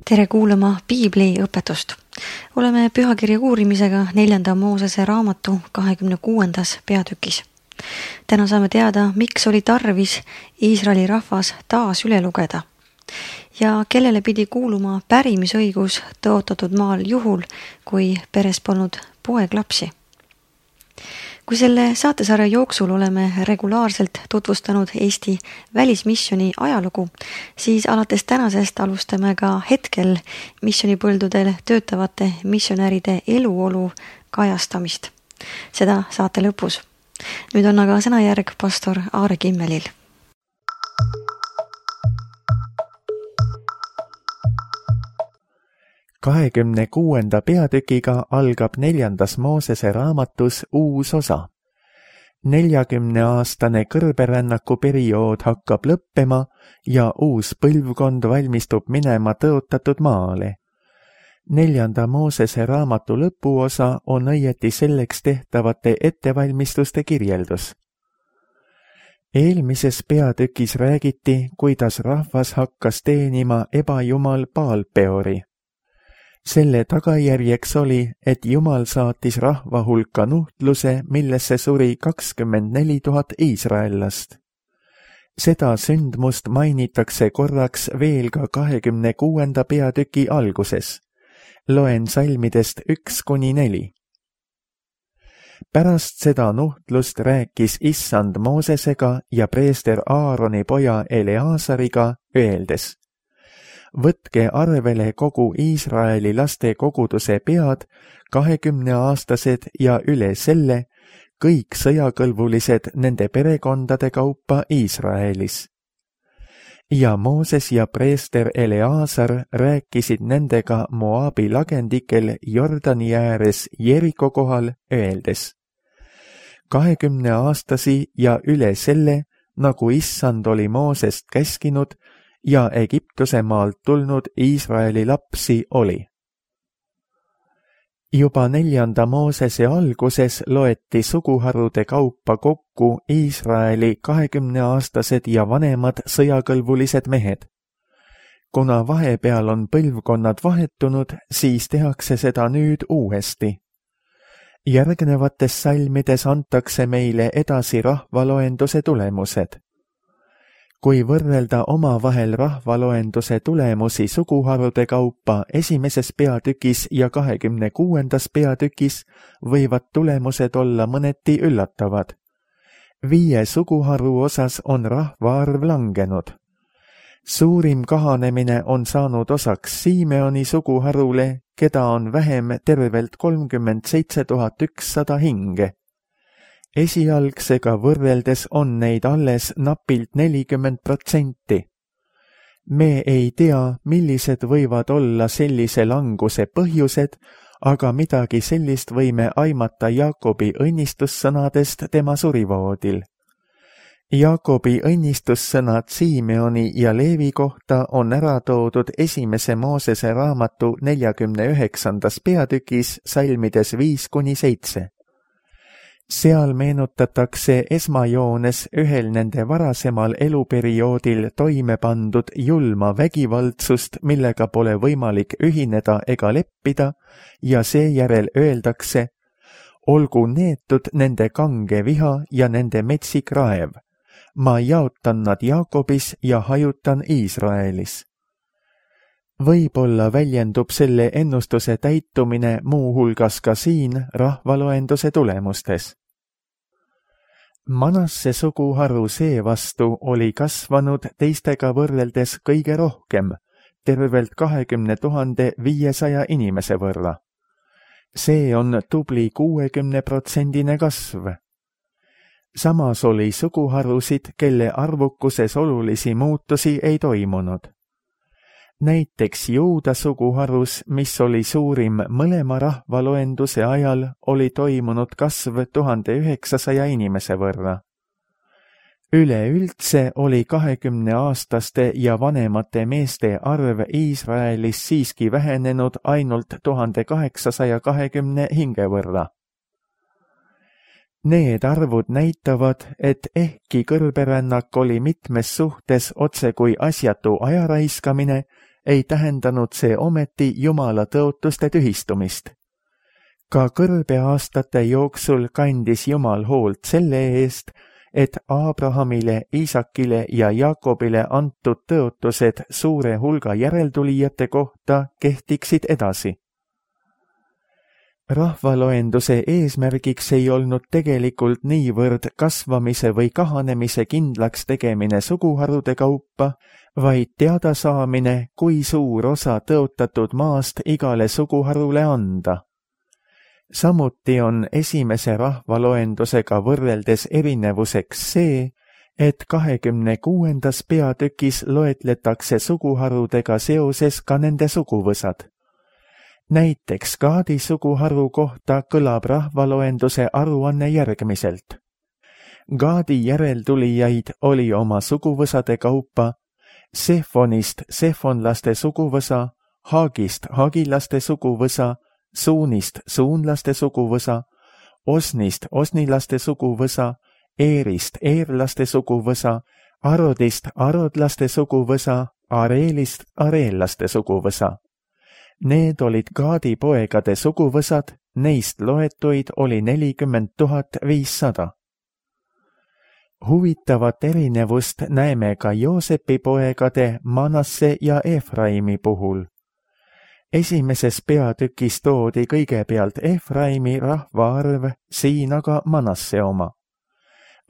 Tere kuulama Piibli õpetust. Oleme pühakirja uurimisega 4. Moosese raamatu 26. peatükis. Täna saame teada, miks oli tarvis Iisraeli rahvas taas üle lugeda ja kellele pidi kuuluma pärimisõigus tõotatud maal juhul, kui peres polnud poeglapsi. Kui selle saatesarja jooksul oleme regulaarselt tutvustanud Eesti välismisjoni ajalugu, siis alates tänasest alustame ka hetkel missionipõldudel töötavate missionäride eluolu kajastamist. Seda saate lõpus. Nüüd on aga sõnajärg pastor Aare Kimmelil. Kahekümne 26. peatükiga algab 4. Moosese raamatus uus osa. 40-aastane kõrberännaku periood hakkab lõppema ja uus põlvkond valmistub minema tõotatud maale. 4. Moosese raamatu lõpuosa on õieti selleks tehtavate ettevalmistuste kirjeldus. Eelmises peatükis räägiti, kuidas rahvas hakkas teenima ebajumal Baalpeori. Selle tagajärjeks oli, et Jumal saatis rahva hulka nuhtluse, millesse suri 24 000 iisraellast. Seda sündmust mainitakse korraks veel ka 26. peatüki alguses. Loen salmidest 1-4. Pärast seda nuhtlust rääkis Issand Moosesega ja preester Aaroni poja Eleasariga, öeldes: Võtke arvele kogu Iisraeli laste koguduse pead, 20-aastased ja üle selle, kõik sõjakõlbulised nende perekondade kaupa Iisraelis. Ja Mooses ja preester Eleasar rääkisid nendega Moabi lagendikel Jordani ääres Jeriko kohal, öeldes: 20-aastasi ja üle selle, nagu Issand oli Moosest käskinud, ja Egiptuse maalt tulnud Iisraeli lapsi oli. Juba 4. Moosese alguses loeti suguharude kaupa kokku Iisraeli 20-aastased ja vanemad sõjakõlbulised mehed. Kuna vahepeal on põlvkonnad vahetunud, siis tehakse seda nüüd uuesti. Järgnevates salmides antakse meile edasi rahvaloenduse tulemused. Kui võrrelda omavahel rahvaloenduse tulemusi suguharude kaupa 1. peatükis ja 26. peatükis, võivad tulemused olla mõneti üllatavad. 5 suguharu osas on rahvaarv langenud. Suurim kahanemine on saanud osaks Simeoni suguharule, keda on vähem tervelt 37 100 hinge. Esialgsega võrreldes on neid alles napilt 40%. Me ei tea, millised võivad olla sellise languse põhjused, aga midagi sellist võime aimata Jaakobi õnnistussõnadest tema surivoodil. Jaakobi õnnistussõnad Simeoni ja Leevi kohta on ära toodud 1. Moosese raamatu 49. peatükis salmides 5-7. Seal meenutatakse esmajoones ühel nende varasemal eluperioodil toime pandud julma vägivaldsust, millega pole võimalik ühineda ega leppida, ja seejärel öeldakse: olgu neetud nende kange viha ja nende metsik raev. Ma jaotan nad Jaakobis ja hajutan Iisraelis. Võib-olla väljendub selle ennustuse täitumine muuhulgas ka siin rahvaloenduse tulemustes. Manasse suguharu seevastu oli kasvanud teistega võrreldes kõige rohkem, tervelt 20 500 inimese võrra. See on tubli 60% kasv. Samas oli suguharusid, kelle arvukuses olulisi muutusi ei toimunud. Näiteks Juuda suguharus, mis oli suurim mõlema rahvaloenduse ajal, oli toimunud kasv 1900 inimese võrra. Üleüldse oli 20-aastaste ja vanemate meeste arv Iisraelis siiski vähenenud ainult 1820 hinge võrra. Need arvud näitavad, et ehkki kõrberännak oli mitmes suhtes otse kui asjatu ajaraiskamine, ei tähendanud see ometi Jumala tõotuste tühistumist. Ka kõrbeaastate jooksul kandis Jumal hoolt selle eest, et Abrahamile, Iisakile ja Jaakobile antud tõotused suure hulga järeltulijate kohta kehtiksid edasi. Rahvaloenduse eesmärgiks ei olnud tegelikult niivõrd kasvamise või kahanemise kindlaks tegemine suguharude kaupa, vaid teada saamine, kui suur osa tõotatud maast igale suguharule anda. Samuti on esimese rahvaloendusega võrreldes erinevuseks see, et 26. peatükis loetletakse suguharudega seoses ka nende suguvõsad. Näiteks Gaadi suguharu kohta kõlab rahvaloenduse aruanne järgmiselt. Gaadi järeltulijaid oli oma suguvõsade kaupa Sefonist sefonlaste suguvõsa, Haagist hagilaste suguvõsa, Suunist suunlaste suguvõsa, Osnist osnilaste suguvõsa, Eerist eerlaste suguvõsa, Arodist arodlaste suguvõsa, Areelist areellaste suguvõsa. Need olid Gaadi poegade suguvõsad, neist loetuid oli 40 500. Huvitavat erinevust näeme ka Joosepi poegade Manasse ja Efraimi puhul. Esimeses peatükis toodi kõigepealt Efraimi rahvaarv, siin aga Manasse oma.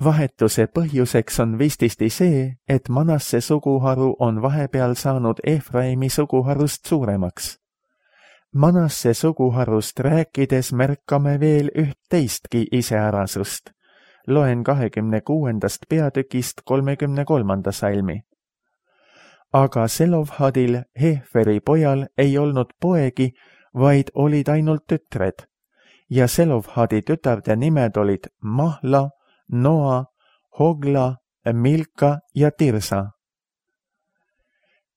Vahetuse põhjuseks on vististi see, et Manasse suguharu on vahepeal saanud Efraimi suguharust suuremaks. Manasse suguharust rääkides märkame veel üht teistki iseärasust. Loen 26. peatükist 33. salmi. Aga Selofhadil, Heferi pojal, ei olnud poegi, vaid olid ainult tütred. Ja Selofhadi tütarde nimed olid Mahla, Noa, Hogla, Milka ja Tirsa.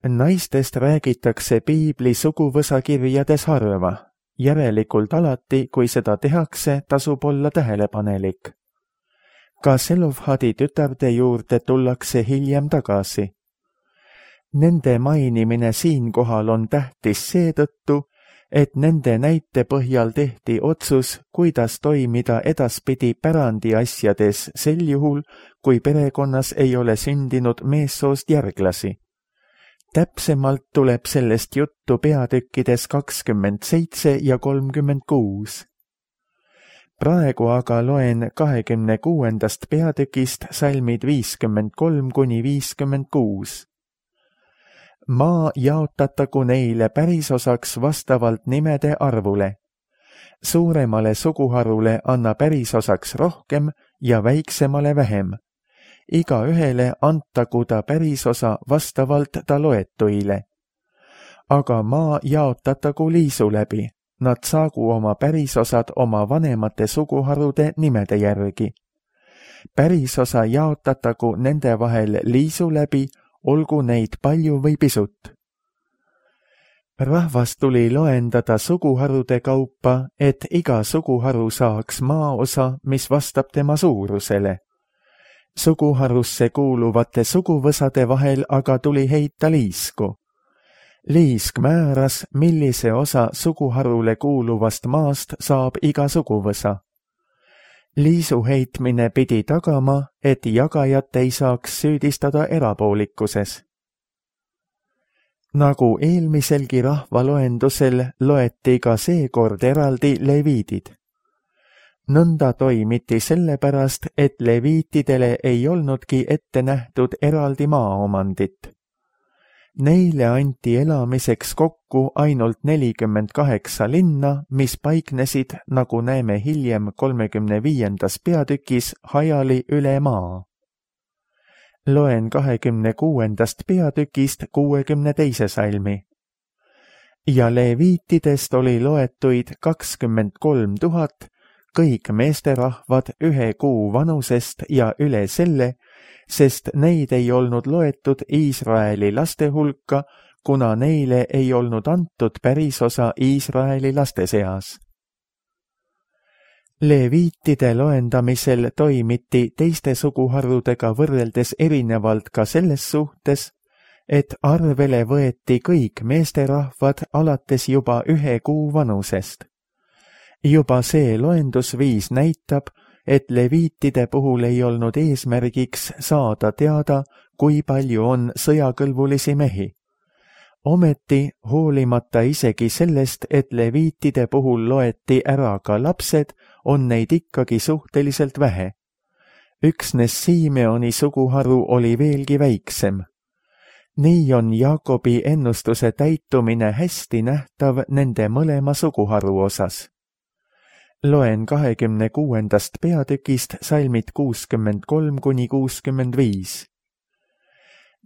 Naistest räägitakse piibli suguvõsakirjades harva, järelikult alati, kui seda tehakse, tasub olla tähelepanelik. Ka Selofhadi tütarde juurde tullakse hiljem tagasi. Nende mainimine siinkohal on tähtis seetõttu, et nende näite põhjal tehti otsus, kuidas toimida edaspidi pärandiasjades sel juhul, kui perekonnas ei ole sündinud meessoost järglasi. Täpsemalt tuleb sellest juttu peatükkides 27 ja 36. Praegu aga loen 26. peatükist salmid 53 kuni 56. Maa jaotatagu neile pärisosaks vastavalt nimede arvule. Suuremale suguharule anna pärisosaks rohkem ja väiksemale vähem. Igaühele antagu ta pärisosa vastavalt ta loetuile. Aga maa jaotatagu liisu läbi. Nad saagu oma pärisosad oma vanemate suguharude nimede järgi. Pärisosa jaotatagu nende vahel liisu läbi, olgu neid palju või pisut. Rahvas tuli loendada suguharude kaupa, et iga suguharu saaks maaosa, mis vastab tema suurusele. Suguharusse kuuluvate suguvõsade vahel aga tuli heita liisku. Liisk määras, millise osa suguharule kuuluvast maast saab iga suguvõsa. Liisu heitmine pidi tagama, et jagajat ei saaks süüdistada erapoolikuses. Nagu eelmiselgi rahvaloendusel loeti ka seekord eraldi leviidid. Nõnda toimiti sellepärast, et leviitidele ei olnudki ette nähtud eraldi maaomandit. Neile anti elamiseks kokku ainult 48 linna, mis paiknesid, nagu näeme hiljem 35. peatükis, hajali üle maa. Loen 26. peatükist 62. salmi. Ja leviitidest oli loetuid 23 000, kõik meesterahvad 1 kuu vanusest ja üle selle, sest neid ei olnud loetud Iisraeli laste hulka, kuna neile ei olnud antud pärisosa Iisraeli laste seas. Leviitide loendamisel toimiti teiste suguharudega võrreldes erinevalt ka selles suhtes, et arvele võeti kõik meesterahvad alates juba 1 kuu vanusest. Juba see loendusviis näitab, et leviitide puhul ei olnud eesmärgiks saada teada, kui palju on sõjakõlbulisi mehi. Ometi, hoolimata isegi sellest, et leviitide puhul loeti ära ka lapsed, on neid ikkagi suhteliselt vähe. Üksnes Simeoni suguharu oli veelgi väiksem. Nii on Jaakobi ennustuse täitumine hästi nähtav nende mõlema suguharu osas. Loen 26. peatükist salmid 63–65.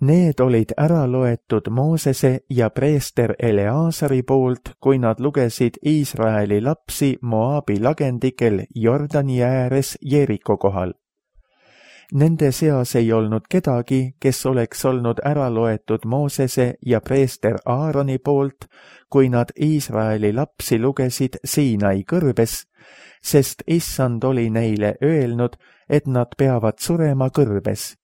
Need olid ära loetud Moosese ja preester Eleazari poolt, kui nad lugesid Iisraeli lapsi Moabi lagendikel Jordani ääres Jeeriko kohal. Nende seas ei olnud kedagi, kes oleks olnud ära loetud Moosese ja preester Aaroni poolt, kui nad Iisraeli lapsi lugesid Siinai kõrbes, sest Issand oli neile öelnud, et nad peavad surema kõrbes.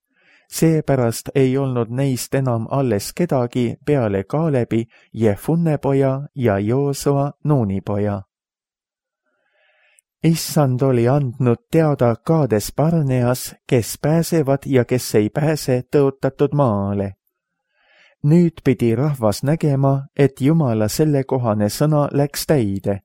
Seepärast ei olnud neist enam alles kedagi peale Kaalebi, Jefunne poja ja Joosua Nuuni poja. Issand oli andnud teada Kaades Barneas, kes pääsevad ja kes ei pääse tõotatud maale. Nüüd pidi rahvas nägema, et Jumala sellekohane sõna läks täide.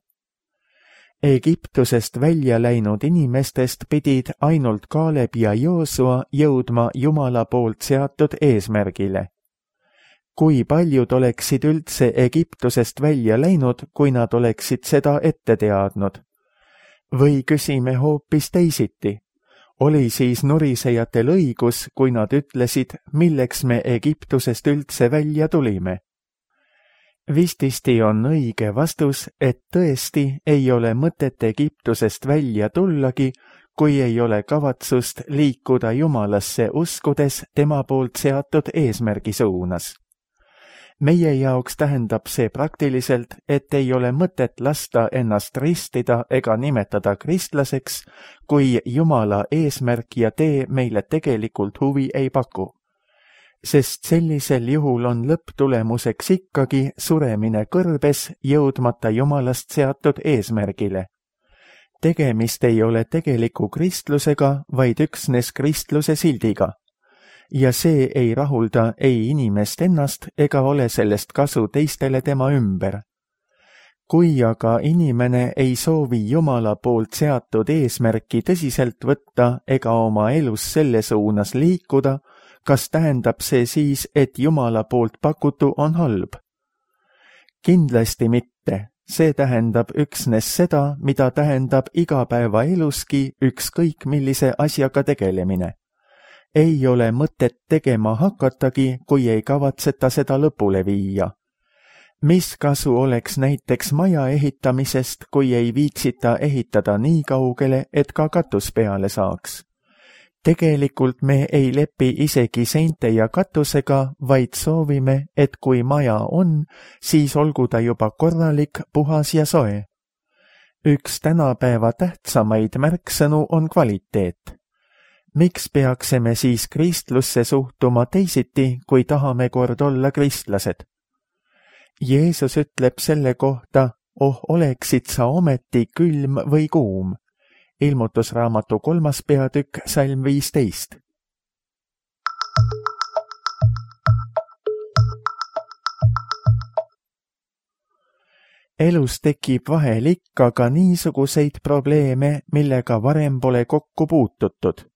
Egiptusest välja läinud inimestest pidid ainult Kaaleb ja Joosua jõudma Jumala poolt seatud eesmärgile. Kui paljud oleksid üldse Egiptusest välja läinud, kui nad oleksid seda ette teadnud? Või küsime hoopis teisiti. Oli siis nurisejatel õigus, kui nad ütlesid, milleks me Egiptusest üldse välja tulime? Vististi on õige vastus, et tõesti ei ole mõtet Egiptusest välja tullagi, kui ei ole kavatsust liikuda Jumalasse uskudes tema poolt seatud eesmärgi suunas. Meie jaoks tähendab see praktiliselt, et ei ole mõtet lasta ennast ristida ega nimetada kristlaseks, kui Jumala eesmärk ja tee meile tegelikult huvi ei paku. Sest sellisel juhul on lõpptulemuseks ikkagi suremine kõrbes, jõudmata Jumalast seatud eesmärgile. Tegemist ei ole tegeliku kristlusega, vaid üksnes kristluse sildiga. Ja see ei rahulda ei inimest ennast ega ole sellest kasu teistele tema ümber. Kui aga inimene ei soovi Jumala poolt seatud eesmärki tõsiselt võtta ega oma elus selle suunas liikuda, kas tähendab see siis, et Jumala poolt pakutu on halb? Kindlasti mitte. See tähendab üksnes seda, mida tähendab igapäevaeluski ükskõik millise asjaga tegelemine. Ei ole mõtet tegema hakatagi, kui ei kavatseta seda lõpule viia. Mis kasu oleks näiteks maja ehitamisest, kui ei viitsita ehitada nii kaugele, et ka katus peale saaks? Tegelikult me ei lepi isegi seinte ja katusega, vaid soovime, et kui maja on, siis olgu ta juba korralik, puhas ja soe. Üks tänapäeva tähtsamaid märksõnu on kvaliteet. Miks peaksime siis kristlusse suhtuma teisiti, kui tahame kord olla kristlased? Jeesus ütleb selle kohta, oleksid sa ometi külm või kuum. Ilmutusraamatu 3. peatükk, salm 15. Elus tekib vahel ikka ka niisuguseid probleeme, millega varem pole kokku puututud.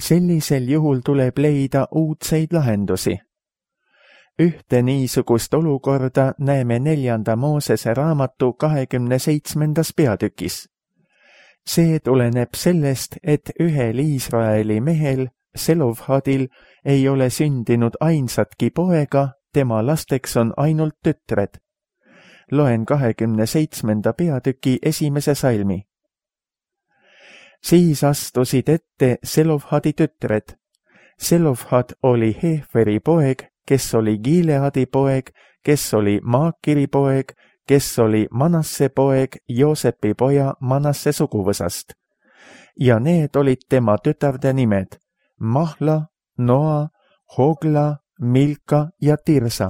Sellisel juhul tuleb leida uudseid lahendusi. Ühte niisugust olukorda näeme 4. Moosese raamatu 27. peatükis. See tuleneb sellest, et ühel Iisraeli mehel, Selofhadil, ei ole sündinud ainsatki poega, tema lasteks on ainult tütred. Loen 27. peatüki 1. salmi. Siis astusid ette Selofhadi tütred. Selofhad oli Heferi poeg, kes oli Gileadi poeg, kes oli Maakiri poeg, kes oli Manasse poeg, Joosepi poja Manasse suguvõsast. Ja need olid tema tütarde nimed: Mahla, Noa, Hogla, Milka ja Tirsa.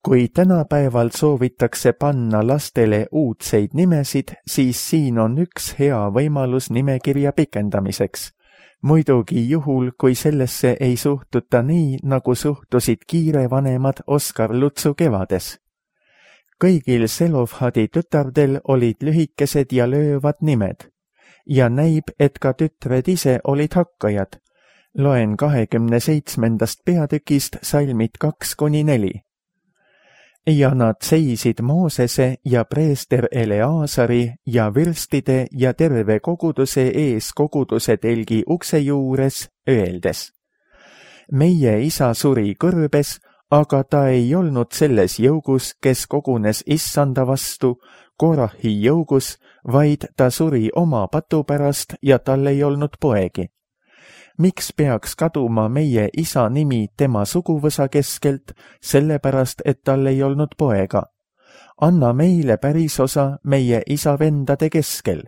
Kui tänapäeval soovitakse panna lastele uudseid nimesid, siis siin on üks hea võimalus nimekirja pikendamiseks. Muidugi juhul, kui sellesse ei suhtuta nii, nagu suhtusid kiirevanemad Oskar Lutsu kevades. Kõigil Zelovhadi tütardel olid lühikesed ja löövad nimed. Ja näib, et ka tütred ise olid hakkajad. Loen 27. peatükist salmid 2-4. Ja nad seisid Moosese ja preester Eleazari ja vürstide ja terve koguduse ees koguduse telgi ukse juures, öeldes: Meie isa suri kõrbes, aga ta ei olnud selles jõugus, kes kogunes issanda vastu, Korahi jõugus, vaid ta suri oma patu pärast ja tal ei olnud poegi. Miks peaks kaduma meie isa nimi tema suguvõsa keskelt, sellepärast, et tal ei olnud poega? Anna meile pärisosa meie isa vendade keskel.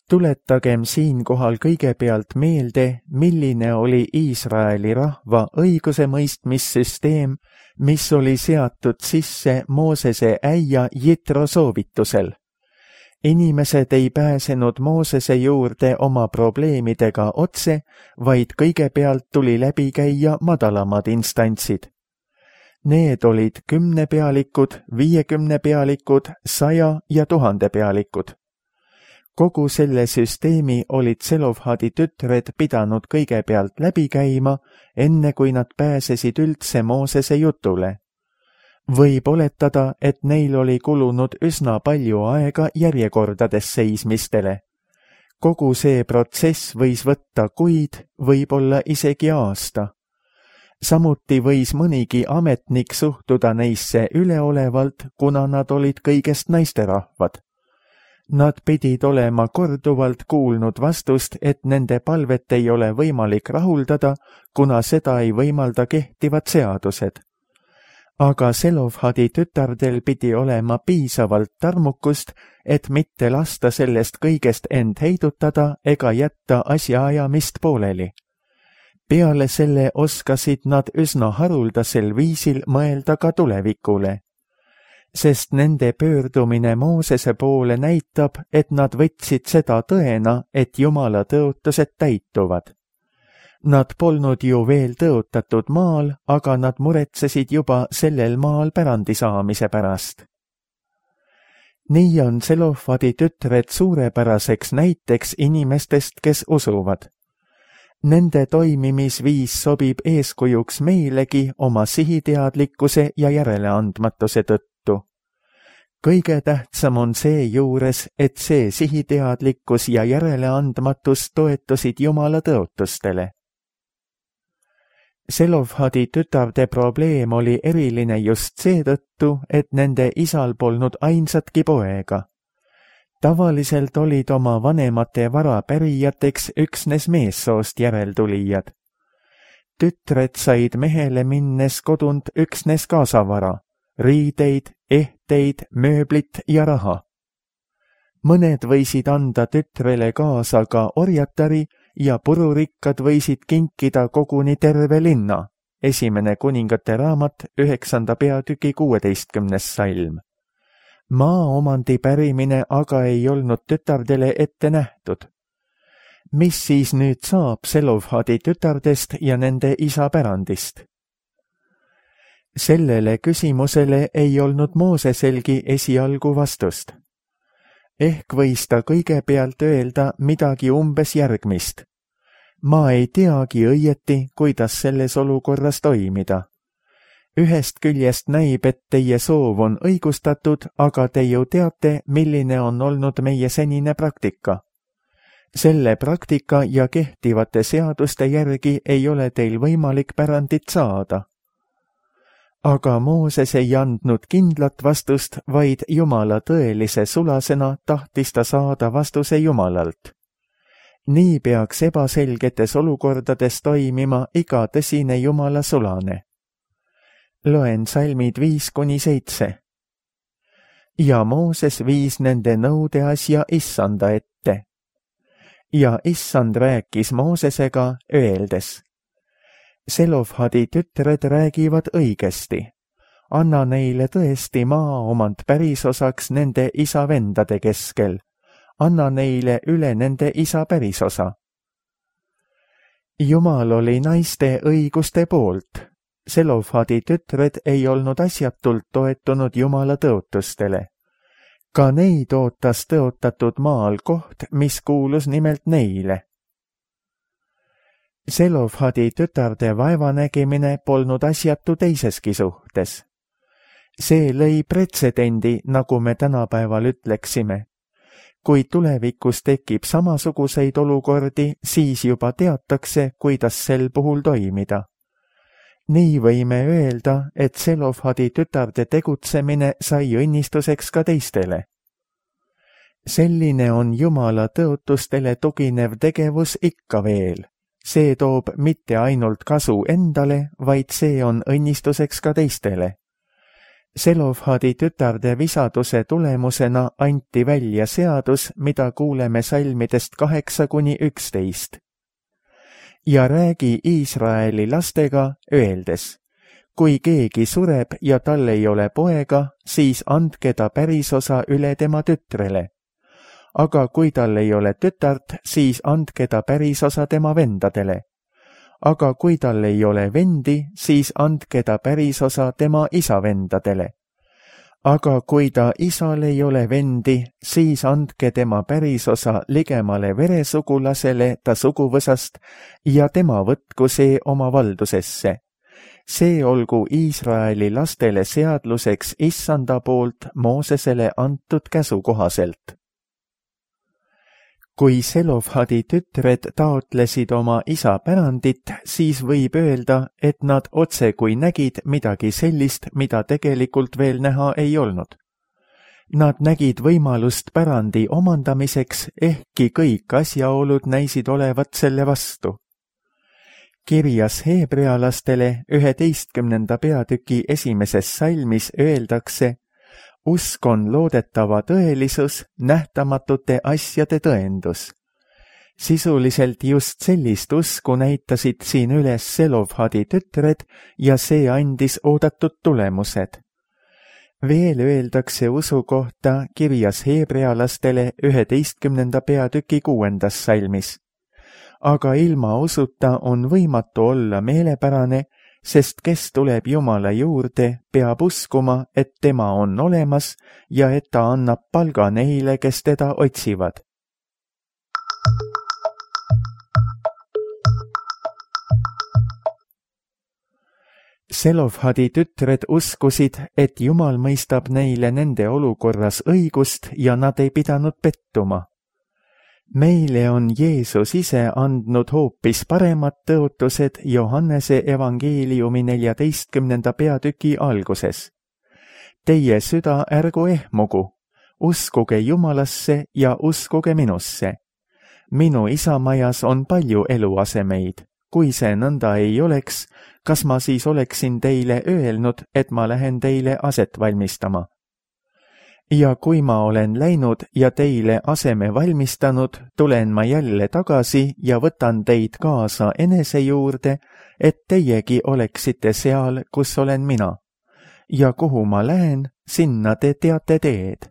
Tuletagem siinkohal kõigepealt meelde, milline oli Iisraeli rahva õigusemõistmissüsteem, mis oli seatud sisse Moosese äia Jitro soovitusel. Inimesed ei pääsenud Moosese juurde oma probleemidega otse, vaid kõigepealt tuli läbi käia madalamad instantsid. Need olid 10 pealikud, 50 pealikud, 100 ja 1000 pealikud. Kogu selle süsteemi olid Zelovhadi tütred pidanud kõigepealt läbi käima, enne kui nad pääsesid üldse Moosese jutule. Võib oletada, et neil oli kulunud üsna palju aega järjekordades seismistele. Kogu see protsess võis võtta kuid, võib-olla isegi aasta. Samuti võis mõnigi ametnik suhtuda neisse üleolevalt, kuna nad olid kõigest naisterahvad. Nad pidid olema korduvalt kuulnud vastust, et nende palvet ei ole võimalik rahuldada, kuna seda ei võimalda kehtivad seadused. Aga Zelovhadi tütardel pidi olema piisavalt tarmukust, et mitte lasta sellest kõigest end heidutada ega jätta asjaajamist pooleli. Peale selle oskasid nad üsna haruldasel viisil mõelda ka tulevikule, sest nende pöördumine Moosese poole näitab, et nad võtsid seda tõena, et Jumala tõotused täituvad. Nad polnud ju veel tõotatud maal, aga nad muretsesid juba sellel maal pärandi saamise pärast. Nii on Zelovhadi tütred suurepäraseks näiteks inimestest, kes usuvad. Nende toimimisviis sobib eeskujuks meilegi oma sihiteadlikkuse ja järeleandmatuse tõttu. Kõige tähtsam on see juures, et see sihiteadlikkus ja järeleandmatus toetusid Jumala tõotustele. Zelovhadi tütarde probleem oli eriline just seetõttu, et nende isal polnud ainsatki poega. Tavaliselt olid oma vanemate vara pärijateks üksnes meessoost järeltulijad. Tütred said mehele minnes kodunt üksnes kaasavara, riideid, ehteid, mööblit ja raha. Mõned võisid anda tütrele kaasa ka orjatari ja pururikkad võisid kinkida koguni terve linna. 1. kuningate raamat 9. peatüki 16. salm. Maaomandi pärimine aga ei olnud tütardele ette nähtud. Mis siis nüüd saab Zelovhadi tütardest ja nende isa pärandist? Sellele küsimusele ei olnud Mooseselgi esialgu vastust. Ehk võis ta kõigepealt öelda midagi umbes järgmist. Ma ei teagi õieti, kuidas selles olukorras toimida. Ühest küljest näib, et teie soov on õigustatud, aga te ju teate, milline on olnud meie senine praktika. Selle praktika ja kehtivate seaduste järgi ei ole teil võimalik pärandit saada. Aga Mooses ei andnud kindlat vastust, vaid Jumala tõelise sulasena tahtis ta saada vastuse Jumalalt. Nii peaks ebaselgetes olukordades toimima iga tõsine Jumala sulane. Loen salmid 5-7. Ja Mooses viis nende nõude asja issanda ette. Ja issand rääkis Moosesega, öeldes: Selofhadi tütred räägivad õigesti. Anna neile tõesti maaomand pärisosaks nende isa vendade keskel. Anna neile üle nende isa pärisosa. Jumal oli naiste õiguste poolt. Selofhadi tütred ei olnud asjatult toetunud Jumala tõotustele. Ka neid ootas tõotatud maal koht, mis kuulus nimelt neile. Selofhadi tütarde vaevanägimine polnud asjatu teiseski suhtes. See lõi pretsedendi, nagu me tänapäeval ütleksime. Kui tulevikus tekib samasuguseid olukordi, siis juba teatakse, kuidas sel puhul toimida. Nii võime öelda, et Selofhadi tütarde tegutsemine sai õnnistuseks ka teistele. Selline on Jumala tõotustele tuginev tegevus ikka veel. See toob mitte ainult kasu endale, vaid see on õnnistuseks ka teistele. Selofhadi tütarde visaduse tulemusena anti välja seadus, mida kuuleme salmidest 8–11. Ja räägi Iisraeli lastega, öeldes, kui keegi sureb ja tal ei ole poega, siis andke ta pärisosa üle tema tütrele. Aga kui tal ei ole tütart, siis andke ta pärisosa tema vendadele. Aga kui tal ei ole vendi, siis andke ta pärisosa tema isa vendadele. Aga kui ta isal ei ole vendi, siis andke tema pärisosa ligemale veresugulasele ta suguvõsast ja tema võtku see oma valdusesse. See olgu Iisraeli lastele seadluseks Issanda poolt Moosesele antud käsu kohaselt. Kui Selofhadi tütred taotlesid oma isa pärandit, siis võib öelda, et nad otse kui nägid midagi sellist, mida tegelikult veel näha ei olnud. Nad nägid võimalust pärandi omandamiseks, ehkki kõik asjaolud näisid olevat selle vastu. Kirjas heebrealastele 11. peatüki 1. salmis öeldakse, usk on loodetava tõelisus, nähtamatute asjade tõendus. Sisuliselt just sellist usku näitasid siin üles Selofhadi tütred ja see andis oodatud tulemused. Veel öeldakse usu kohta kirjas heebrealastele 11. peatüki 6. salmis. Aga ilma usuta on võimatu olla meelepärane, sest kes tuleb Jumala juurde, peab uskuma, et tema on olemas ja et ta annab palga neile, kes teda otsivad. Selofhadi tütred uskusid, et Jumal mõistab neile nende olukorras õigust ja nad ei pidanud pettuma. Meile on Jeesus ise andnud hoopis paremad tõotused Johannese evangeeliumi 14. peatüki alguses. Teie süda ärgu ehmugu, uskuge Jumalasse ja uskuge minusse. Minu isa majas on palju eluasemeid. Kui see nõnda ei oleks, kas ma siis oleksin teile öelnud, et ma lähen teile aset valmistama? Ja kui ma olen läinud ja teile aseme valmistanud, tulen ma jälle tagasi ja võtan teid kaasa enese juurde, et teiegi oleksite seal, kus olen mina. Ja kuhu ma lähen, sinna te teate teed.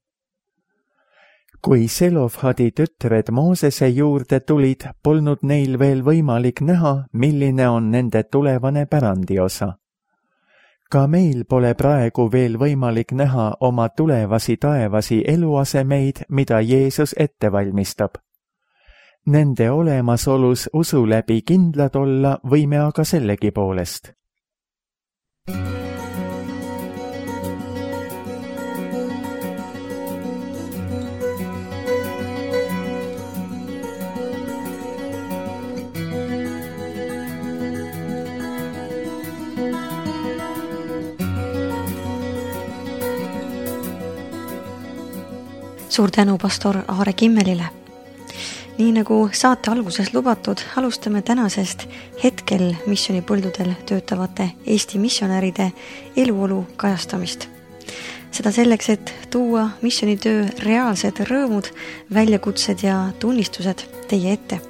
Kui Selofhadi tütred Moosese juurde tulid, polnud neil veel võimalik näha, milline on nende tulevane pärandiosa. Ka meil pole praegu veel võimalik näha oma tulevasi taevasi eluasemeid, mida Jeesus ette valmistab. Nende olemasolus usu läbi kindlad olla võime aga sellegi poolest. Suur tänu pastor Aare Kimmelile. Nii nagu saate alguses lubatud, alustame tänasest hetkel missioonipõldudel töötavate Eesti missionäride eluolu kajastamist. Seda selleks, et tuua missioonitöö reaalsed rõõmud, väljakutsed ja tunnistused teie ette.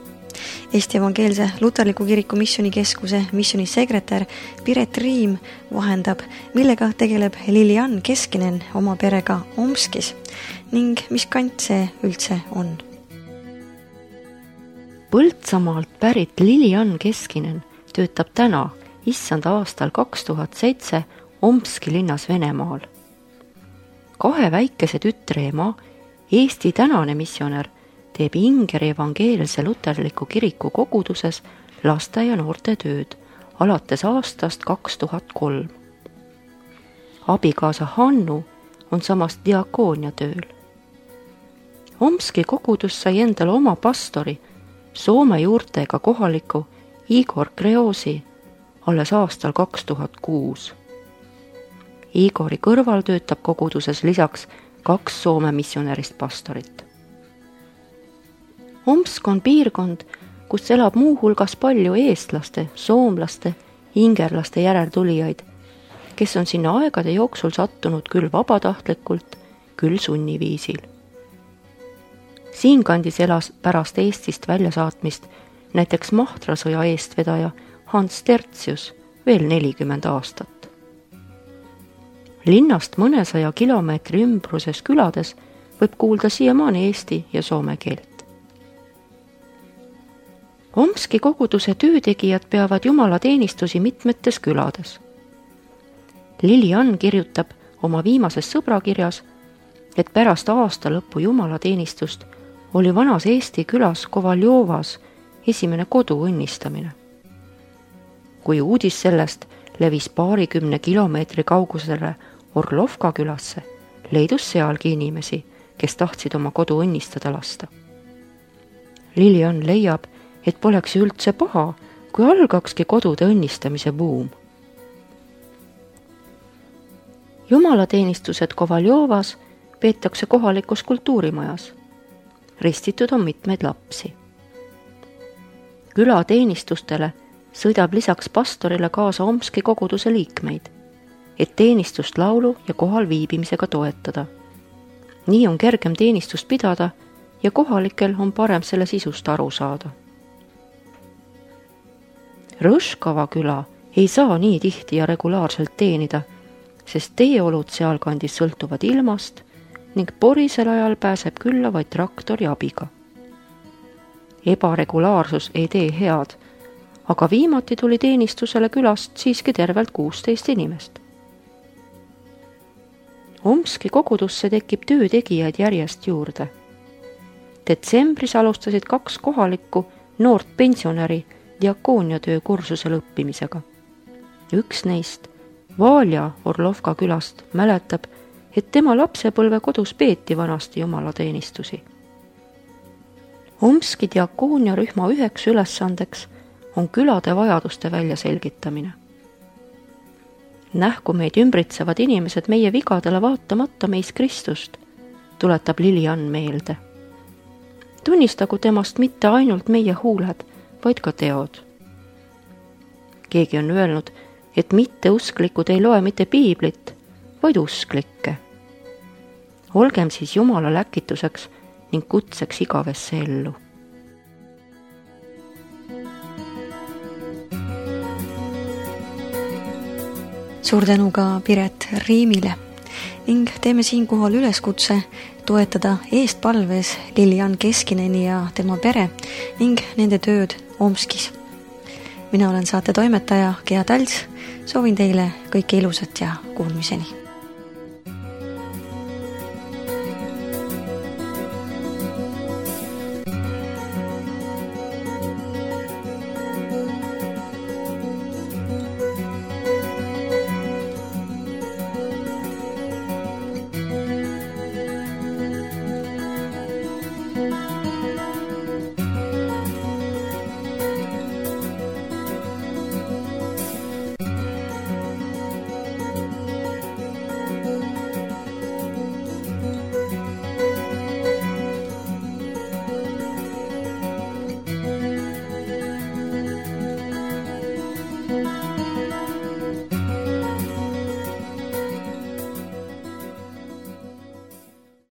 Eesti Evangeelse Luterliku Kiriku Missioonikeskuse missioonisekretär Piret Riim vahendab, millega tegeleb Lilian Keskinen oma perega Omskis ning mis kant see üldse on. Põltsamaalt pärit Lilian Keskinen töötab täna, issanda aastal 2007 Omski linnas Venemaal. 2 väikese tütre ema, Eesti tänane missionär, teeb Ingeri Evangeelse Luterliku Kiriku koguduses laste ja noorte tööd alates aastast 2003. Abikaasa Hannu on samast diakoonia tööl. Omski kogudus sai endale oma pastori, Soome juurtega kohaliku Igor Kreosi alles aastal 2006. Igori kõrval töötab koguduses lisaks 2 Soome missionärist pastorit. Omsk on piirkond, kus elab muu hulgas palju eestlaste, soomlaste, ingerlaste järeltulijaid, kes on sinna aegade jooksul sattunud küll vabatahtlikult, küll sunniviisil. Siinkandis elas pärast Eestist väljasaatmist näiteks Mahtrasõja eestvedaja Hans Tertsius veel 40 aastat. Linnast mõnesaja kilomeetri ümbruses külades võib kuulda siiamaani eesti ja soome keelt. Omski koguduse töötegijad peavad jumalateenistusi mitmetes külades. Lilian kirjutab oma viimases sõbrakirjas, et pärast aasta lõppu jumalateenistust oli vanas Eesti külas Kovaljovas esimene kodu õnnistamine. Kui uudis sellest levis 20 kilomeetri kaugusele Orlovka külasse, leidus sealgi inimesi, kes tahtsid oma kodu õnnistada lasta. Lilian leiab, et poleks üldse paha, kui algakski kodude õnnistamise buum. Jumalateenistused Kovaljovas peetakse kohalikus kultuurimajas. Ristitud on mitmeid lapsi. Külateenistustele sõidab lisaks pastorile kaasa Omski koguduse liikmeid, et teenistust laulu ja kohal viibimisega toetada. Nii on kergem teenistust pidada ja kohalikel on parem selle sisust aru saada. Rõškava küla ei saa nii tihti ja regulaarselt teenida, sest teeolud sealkandis sõltuvad ilmast ning porisel ajal pääseb külla vaid traktori abiga. Ebaregulaarsus ei tee head, aga viimati tuli teenistusele külast siiski tervelt 16 inimest. Omski kogudusse tekib töötegijaid järjest juurde. Detsembris alustasid 2 kohalikku noort pensionäri diakooniatöö kursusel õppimisega. Üks neist, Valja Orlovka külast, mäletab, et tema lapsepõlve kodus peeti vanasti jumalateenistusi. Omski diakooniarühma üheks ülesandeks on külade vajaduste väljaselgitamine. Nähku meid ümbritsevad inimesed meie vigadele vaatamata meis Kristust, tuletab Lilian meelde. Tunnistagu temast mitte ainult meie huuled, vaid ka teod. Keegi on öelnud, et mitteusklikud ei loe mitte piiblit, vaid usklikke. Olgem siis Jumala läkituseks ning kutseks igavesse ellu. Suur tänu ka Piret Riimile ning teeme siinkohal üleskutse toetada eestpalves Lilian Keskineni ja tema pere ning nende tööd Omskis. Mina olen saate toimetaja Gea Talts, soovin teile kõike ilusat ja kuulmiseni.